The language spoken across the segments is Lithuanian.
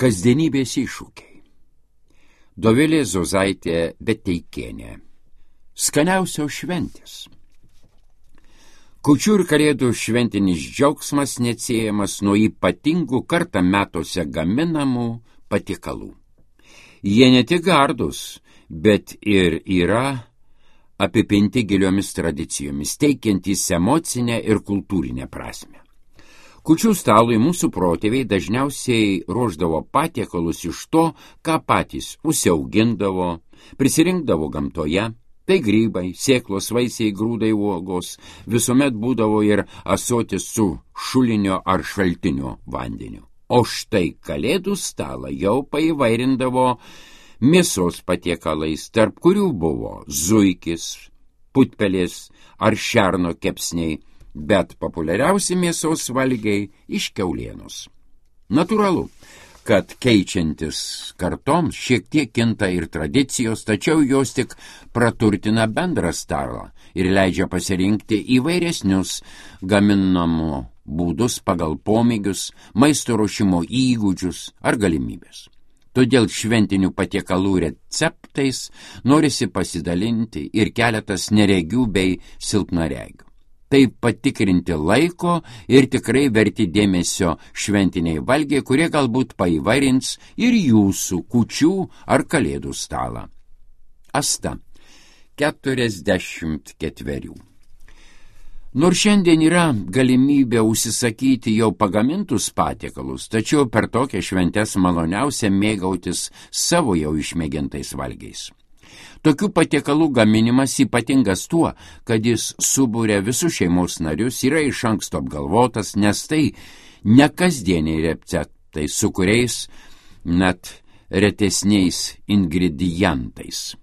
Kasdienybės iššūkiai. Dovilė Zozaitė Beteikienė. Skaniausios šventės. Kūčių ir Kalėdų šventinis džiaugsmas neatsiejamas nuo ypatingų kartą metuose gaminamų patiekalų. Jie ne tik gardūs, bet ir yra apipinti giliomis tradicijomis, teikiantys emocinę ir kultūrinę prasmę. Kūčių stalui mūsų protėviai dažniausiai ruošdavo patiekalus iš to, ką patys užsiaugindavo, prisirinkdavo gamtoje. Tai grybai, sėklos, vaisiai, grūdai, uogos, visuomet būdavo ir ąsotis su šulinio ar šaltinio vandeniu. O štai Kalėdų stalą jau paįvairindavo mėsos patiekalais, tarp kurių buvo zuikis, putpelės ar šerno kepsniai, bet populiariausi mėsos valgiai iš kiaulienos. Natūralu, kad keičiantis kartoms šiek tiek kinta ir tradicijos, tačiau jos tik praturtina bendrą stalą ir leidžia pasirinkti įvairesnius gaminamų būdus pagal pomėgius, maisto ruošimo įgūdžius ar galimybės. Todėl šventinių patiekalų receptais norisi pasidalinti ir keletas neregių bei silpnaregių. Tai patikrinti laiko ir tikrai verti dėmesio šventiniai valgiai, kurie galbūt paįvairins ir jūsų kūčių ar Kalėdų stalą. Asta, 44. Nors šiandien yra galimybė užsisakyti jau pagamintus patiekalus, tačiau per tokią šventes maloniausia mėgautis savo jau išmėgintais valgiais. Tokių patiekalų gaminimas ypatingas tuo, kad jis subūrė visus šeimos narius, yra iš anksto apgalvotas, nes tai ne kasdieniai receptai, su kuriais net retesniais ingredientais.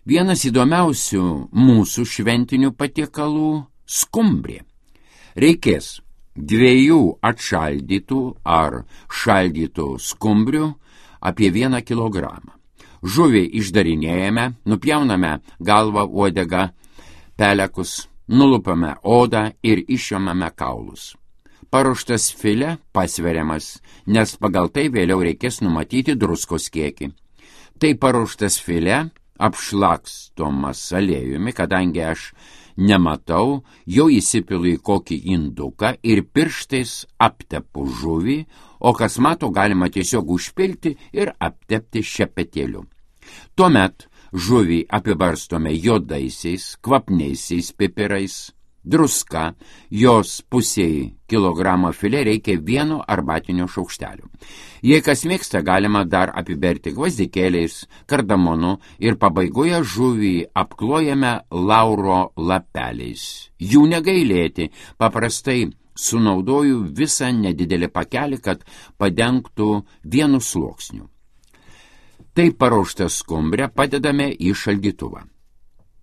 Vienas įdomiausių mūsų šventinių patiekalų – skumbrė. Reikės 2 atšaldytų ar šaldytų skumbrių apie 1 kilogramą. Žuvį išdarinėjame, nupjauname galvą, uodegą, pelekus, nulupame odą ir išimame kaulus. Paruoštas filė pasveriamas, nes pagal tai vėliau reikės numatyti druskos kiekį. Tai paruoštas filė apšlakstomas aliejumi, kadangi aš nematau, jau įsipilu į kokį induką ir pirštais aptepu žuvį, o kas mato, galima tiesiog užpilti ir aptepti šepetėliu. Tuomet žuvį apibarstome juodaisiais, kvapniaisiais pipirais, druska, jos pusei kilogramo filė reikia 1 arbatinio šaukštelio. Jei kas mėgsta, galima dar apiberti gvazdikėliais, kardamonu ir pabaigoje žuvį apklojame lauro lapeliais. Jų negailėti, paprastai sunaudoju visą nedidelį pakelį, kad padengtų 1 sluoksniu. Tai paruoštą skumbrę padedame į šaldytuvą.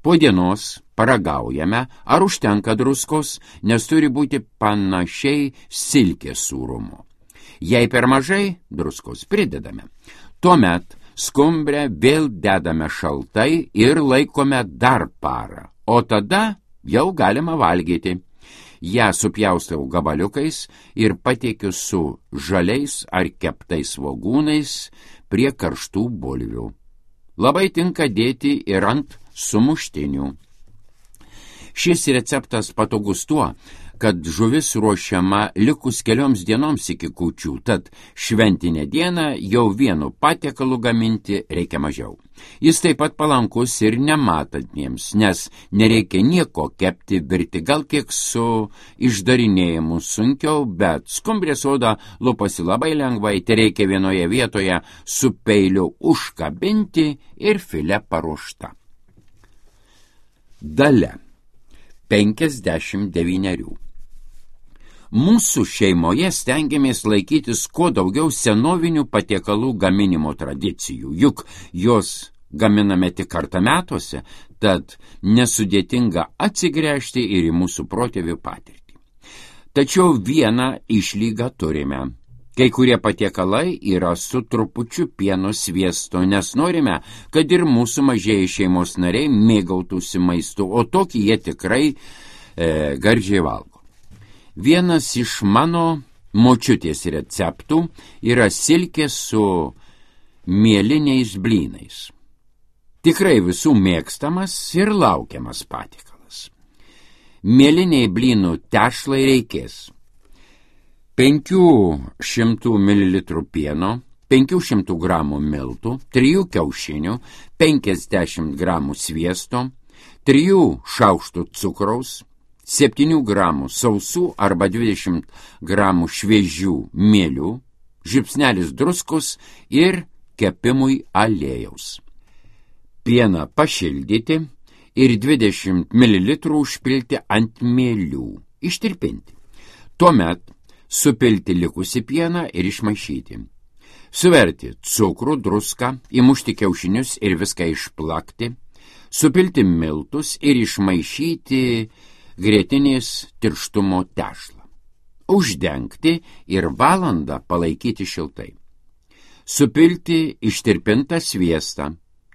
Po dienos paragaujame, ar užtenka druskos, nes turi būti panašiai silkės sūrumo. Jei per mažai, druskos pridedame. Tuomet skumbrę vėl dedame šaltai ir laikome dar parą, o tada jau galima valgyti. Ja supjaustau gabaliukais ir pateikiu su žaliais ar keptais svogūnais prie karštų bulvių. Labai tinka dėti ir ant sumuštinių. Šis receptas patogus tuo, kad žuvis ruošiama likus kelioms dienoms iki kūčių, tad šventinę dieną jau 1 patiekalu gaminti reikia mažiau. Jis taip pat palankus ir nematantiems, nes nereikia nieko kepti, virti, gal kiek su išdarinėjimu sunkiau, bet skumbrės oda lupasi labai lengvai, tai reikia vienoje vietoje su peiliu užkabinti ir filė paruošta. Dalia, 59. Mūsų šeimoje stengiamės laikytis kuo daugiau senovinių patiekalų gaminimo tradicijų, juk jos gaminame tik kartą metuose, tad nesudėtinga atsigręžti ir į mūsų protėvių patirtį. Tačiau vieną išlygą turime. Kai kurie patiekalai yra su trupučiu pieno sviesto, nes norime, kad ir mūsų mažieji šeimos nariai mėgautųsi maistu, o tokį jie tikrai gardžiai valgo. Vienas iš mano močiutės receptų yra silkė su mieliniais blynais. Tikrai visų mėgstamas ir laukiamas patiekalas. Mieliniai blynų tešlai reikės 500 ml pieno, 500 g miltų, 3 kiaušinių, 50 g sviesto, 3 šaukštų cukraus, 7 g sausų arba 20 g šviežių mielių, žiupsnelis druskos ir kepimui aliejaus. Pieną pašildyti ir 20 ml užpilti ant mielių, ištirpinti. Tuomet supilti likusį pieną ir išmaišyti. Suverti cukrų, druską, įmušti kiaušinius ir viską išplakti, supilti miltus ir išmaišyti grietinės tirštumo tešlą. Uždengti ir valandą palaikyti šiltai. Supilti ištirpintą sviestą,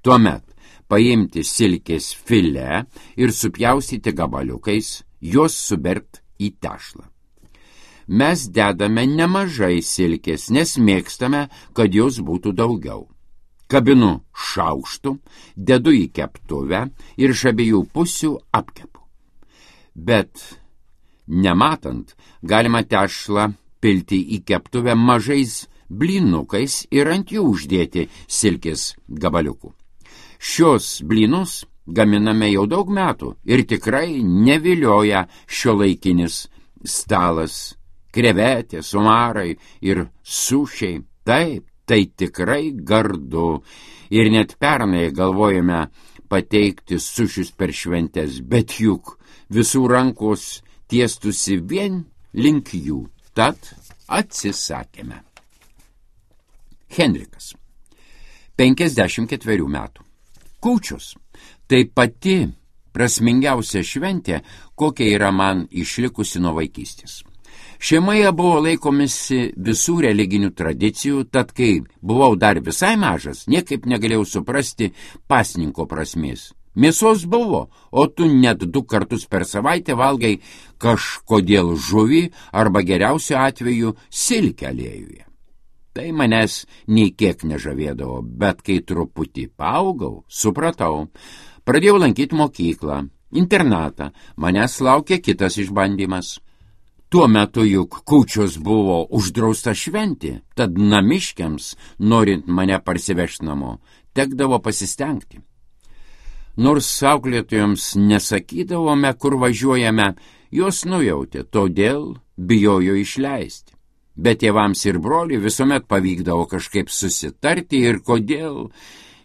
tuomet paimti silkės filė ir supjaustyti gabaliukais, juos subert į tešlą. Mes dedame nemažai silkės, nes mėgstame, kad jos būtų daugiau. Kabinu šaukštu, dedu į keptuvę ir iš abiejų pusių apkepu. Bet nematant, galima tešlą pilti į keptuvę mažais blynukais ir ant jų uždėti silkės gabaliukų. Šios blynus gaminame jau daug metų ir tikrai nevilioja šiuolaikinis stalas, krevetės, omarai ir sušiai. Taip, tai tikrai gardu. Ir net pernai galvojame pateikti sušius per šventes, bet juk visų rankos tiestusi vien link jų. Tad atsisakėme. Henrikas, 54 metų. Kūčios. Tai pati prasmingiausia šventė, kokia yra man išlikusi nuo vaikystės. Šeimoje buvo laikomisi visų religinių tradicijų, tad kai buvau dar visai mažas, niekaip negalėjau suprasti pasninko prasmės. Mėsos buvo, o tu net 2 kartus per savaitę valgai kažkodėl žuvį arba geriausiu atveju silkę aliejuje. Tai manęs nei kiek nežavėdavo, bet kai truputį paaugau, supratau. Pradėjau lankyti mokyklą, internatą, manęs laukė kitas išbandymas. Tuo metu juk kūčios buvo uždrausta šventė, tad namiškiams, norint mane parsivežti namo, tekdavo pasistengti. Nors auklėtojams nesakydavome, kur važiuojame, jos nujautė, todėl bijojo išleisti. Bet tėvams ir broliui visuomet pavykdavo kažkaip susitarti ir kodėl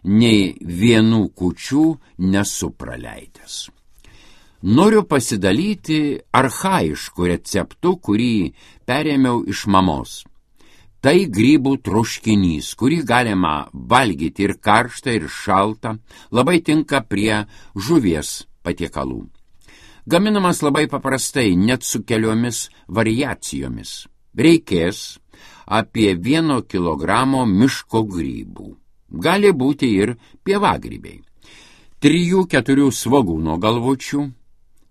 nei vienų kūčių nesu praleidęs. Noriu pasidalyti archaišku receptu, kurį perėmiau iš mamos. Tai grybų troškinys, kurį galima valgyti ir karštą, ir šaltą, labai tinka prie žuvies patiekalų. Gaminamas labai paprastai, net su keliomis variacijomis. Reikės apie 1 kilogramo miško grybų. Gali būti ir pievagrybiai. 3-4 svogūno galvučių,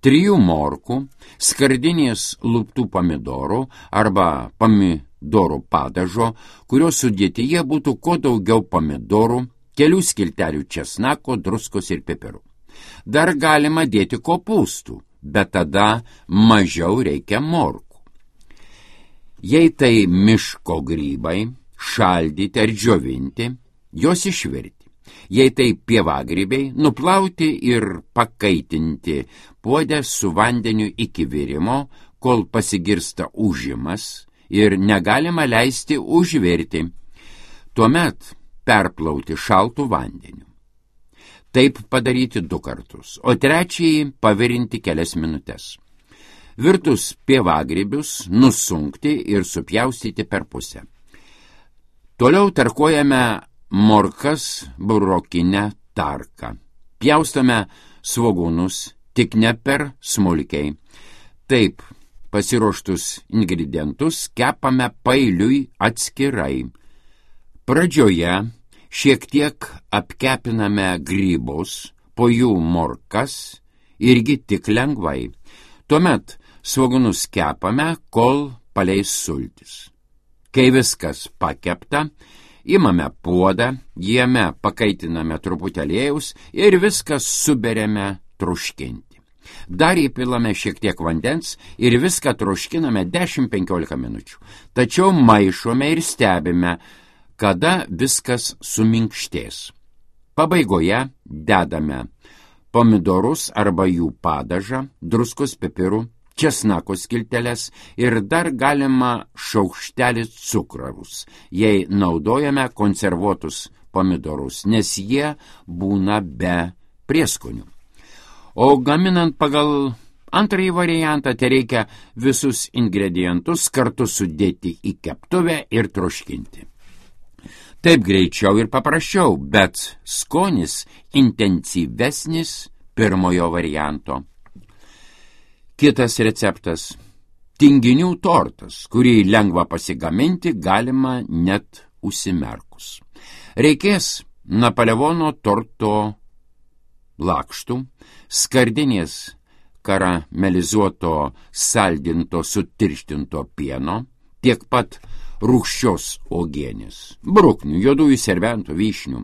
3 morkų, skardinės luptų pomidorų arba pomidorų padažo, kurio sudėtyje būtų kuo daugiau pomidorų, kelių skiltelių česnako, druskos ir pipirų. Dar galima dėti kopūstų, bet tada mažiau reikia morkų. Jei tai miško grybai, šaldyti ar džiovinti, jos išvirti. Jei tai pievagrybiai, nuplauti ir pakaitinti puodę su vandeniu iki virimo, kol pasigirsta ūžimas ir negalima leisti užvirti. Tuomet perplauti šaltų vandeniu. Taip padaryti 2 kartus, o trečiąjį pavirinti kelias minutes. Virtus pievagrybius nusunkti ir supjaustyti per pusę. Toliau tarkuojame morkas burokinę tarką. Pjaustame svogūnus, tik ne per smulkiai. Taip, pasiruoštus ingredientus kepame pailiui atskirai. Pradžioje šiek tiek apkepiname grybus, po jų morkas, irgi tik lengvai. Tuomet svogūnus kepame, kol paleis sultis. Kai viskas pakepta, imame puodą, jame pakaitiname truputį aliejaus ir viskas suberiame troškinti. Dar įpilame šiek tiek vandens ir viską troškiname 10-15 minučių. Tačiau maišome ir stebime, kada viskas suminkštės. Pabaigoje dedame pomidorus arba jų padažą, druskos, pipirų, česnako skilteles ir dar galima šaukštelį cukraus, jei naudojame konservuotus pomidorus, nes jie būna be prieskonių. O gaminant pagal antrąjį variantą, tai reikia visus ingredientus kartu sudėti į keptuvę ir troškinti. Taip greičiau ir paprasčiau, bet skonis intensyvesnis pirmojo varianto. Kitas receptas – tinginių tortas, kurį lengva pasigaminti, galima net užsimerkus. Reikės Napoleono torto lakštų, skardinės karamelizuoto saldinto sutirštinto pieno, tiek pat rūgščios uogienės, bruknių, juodųjų serbentų, vyšnių.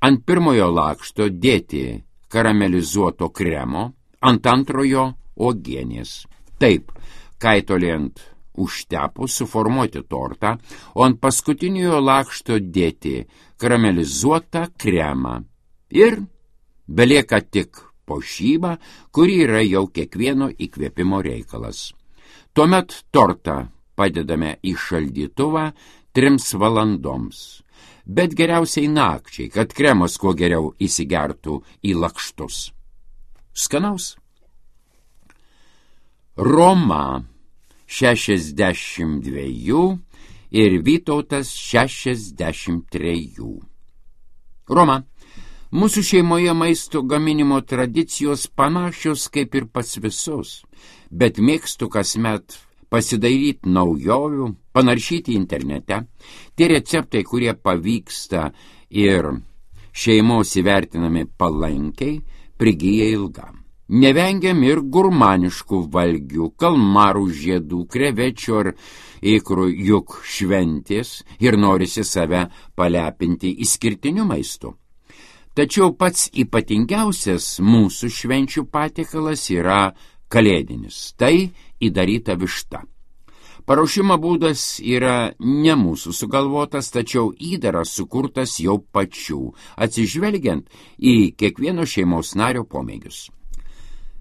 Ant pirmojo lakšto dėti karamelizuoto kremo, ant antrojo uogienės. Taip, kaitoliant užtepus suformuoti tortą, o ant paskutiniojo lakšto dėti karamelizuotą kremą. Ir belieka tik puošyba, kuri yra jau kiekvieno įkvėpimo reikalas. Tuomet tortą padedame į šaldytuvą 3 valandoms, bet geriausiai nakčiai, kad kremas kuo geriau įsigertų į lakštus. Skanaus. Roma 62 ir Vytautas 63. Roma. Mūsų šeimoje maisto gaminimo tradicijos panašios kaip ir pas visus, bet mėgstu kasmet pasidairyti naujovių, panaršyti internete. Tie receptai, kurie pavyksta ir šeimos įvertinami palankiai, prigyja ilgam. Nevengiam ir gurmaniškų valgių, kalmarų žiedų, krevečių ar ikrų, juk šventės ir norisi save palepinti išskirtiniu maistu. Tačiau pats ypatingiausias mūsų švenčių patiekalas yra kalėdinis, tai įdaryta višta. Paruošimo būdas yra ne mūsų sugalvotas, tačiau įdaras sukurtas jau pačių, atsižvelgiant į kiekvieno šeimos nario pomėgius.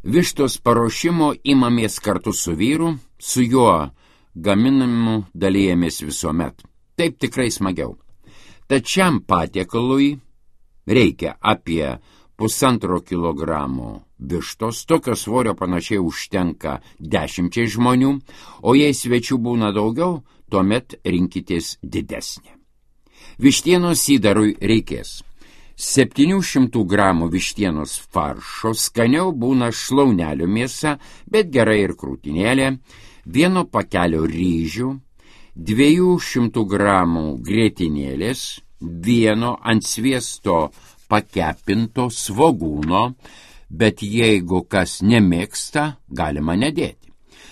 Vištos paruošimo imamės kartu su vyru, su juo gaminamu dalijamės visuomet. Taip tikrai smagiau. Tačiam patiekalui reikia apie 1,5 kilogramo vištos, tokio svorio panašiai užtenka 10 žmonių, o jei svečių būna daugiau, tuomet rinkitės didesnė. Vištienos įdarui reikės 700 gramų vištienos faršo, skaniau būna šlaunelių mėsa, bet gerai ir krūtinėlė, 1 pakelio ryžių, 200 gramų grietinėlės, 1 ant sviesto pakepinto svogūno, bet jeigu kas nemėgsta, galima nedėti.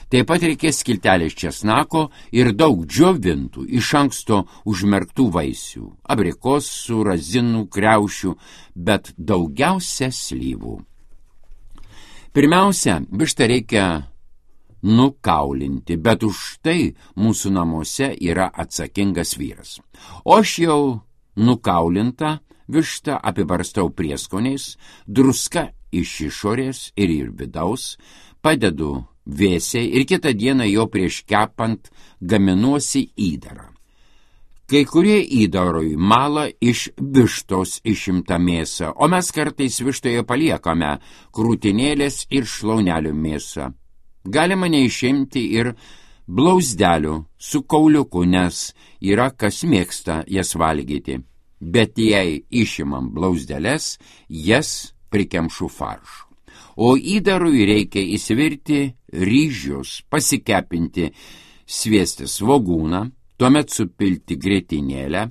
Taip pat reikės skiltelės česnako ir daug džiovintų, iš anksto užmerktų vaisių, abrikosų, razinų, kriaušių, bet daugiausia slyvų. Pirmiausia, vištą reikia nukaulinti, bet už tai mūsų namuose yra atsakingas vyras. O aš jau nukaulintą vištą apibarstau prieskoniais, druska iš išorės ir vidaus, padedu vėsiai ir kitą dieną jau prieš kepant gaminuosi įdarą. Kai kurie įdarui mala iš vištos išimtą mėsą, o mes kartais vištoje paliekame krūtinėlės ir šlaunelių mėsą. Galima neišimti ir blauzdelių su kauliuku, nes yra kas mėgsta jas valgyti. Bet jei išimam blauzdeles, jas prikemšu faršu. O įdarui reikia įsvirti ryžius, pasikepinti sviesti svogūną, tuomet supilti grietinėlę,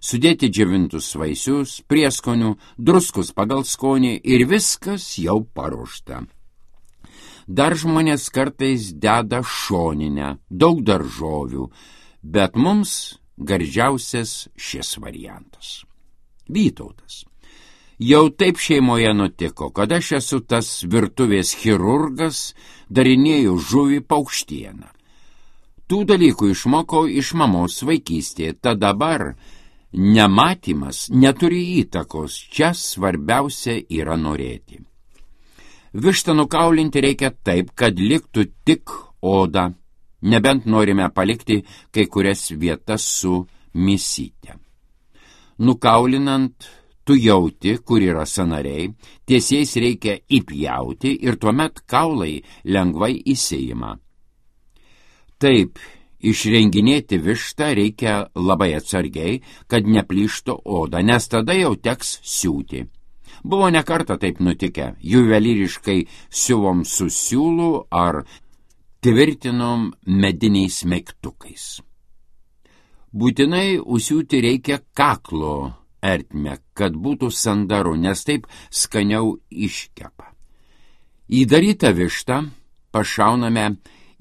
sudėti džiovintus vaisius, prieskonių, druskus pagal skonį ir viskas jau paruošta. Dar žmonės kartais deda šoninę, daug daržovių, bet mums gardžiausias šis variantas. Vytautas. Jau taip šeimoje nutiko, kad aš esu tas virtuvės chirurgas, darinėjau žuvį paukštieną. Tų dalykų išmokau iš mamos vaikystėje, tad dabar nematymas neturi įtakos, čia svarbiausia yra norėti. Vištą nukaulinti reikia taip, kad liktų tik oda, nebent norime palikti kai kurias vietas su mėsyte. Nukaulinant, tu jauti, kur yra sąnariai, tiesiais reikia įpjauti ir tuomet kaulai lengvai įsiima. Taip, išrenginėti vištą reikia labai atsargiai, kad neplyštų oda, nes tada jau teks siūti. Buvo ne kartą taip nutikę, juvelyriškai siuvom su siūlu ar tvirtinom mediniais megtukais. Būtinai užsiūti reikia kaklo ertmę, kad būtų sandaru, nes taip skaniau iškepa. Įdarytą vištą pašauname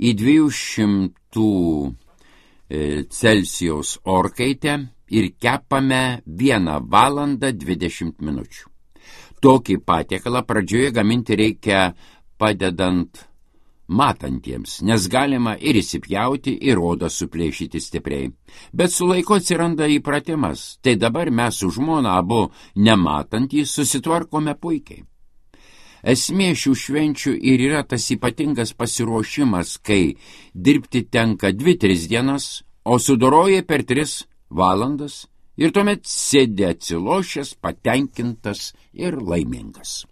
į 200 Celsijaus orkaitę ir kepame 1 valandą 20 minučių. Tokį patiekalą pradžioje gaminti reikia padedant matantiems, nes galima ir įsipjauti, ir odą suplėšyti stipriai. Bet su laiku atsiranda įpratimas, tai dabar mes su žmona abu nematantys susitvarkome puikiai. Esmė šių švenčių ir yra tas ypatingas pasiruošimas, kai dirbti tenka 2-3 dienas, o sudoroji per 3 valandas ir tuomet sėdi atsilošęs, patenkintas ir laimingas.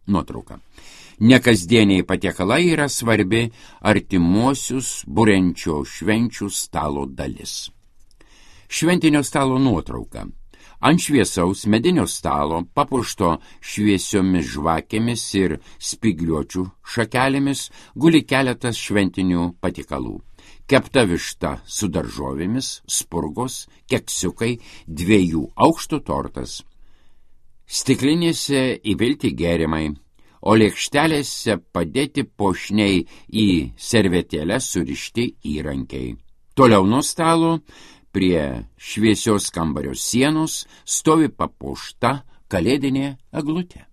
Nuotrauka. Nekasdieniai patiekalai yra svarbi artimuosius buriančio švenčių stalo dalis. Šventinio stalo nuotrauka. Ant šviesaus medinio stalo, papuošto šviesiomis žvakėmis ir spigliuočių šakelėmis, guli keletas šventinių patiekalų. Kepta višta su daržovėmis, spurgos, keksiukai, 2 aukštų tortas. Stiklinėse įpilti gėrimai, o lėkštelėse padėti puošniai į servetėlės surišti įrankiai. Toliau nuo stalo, prie šviesios kambario sienos, stovi papuošta kalėdinė eglutė.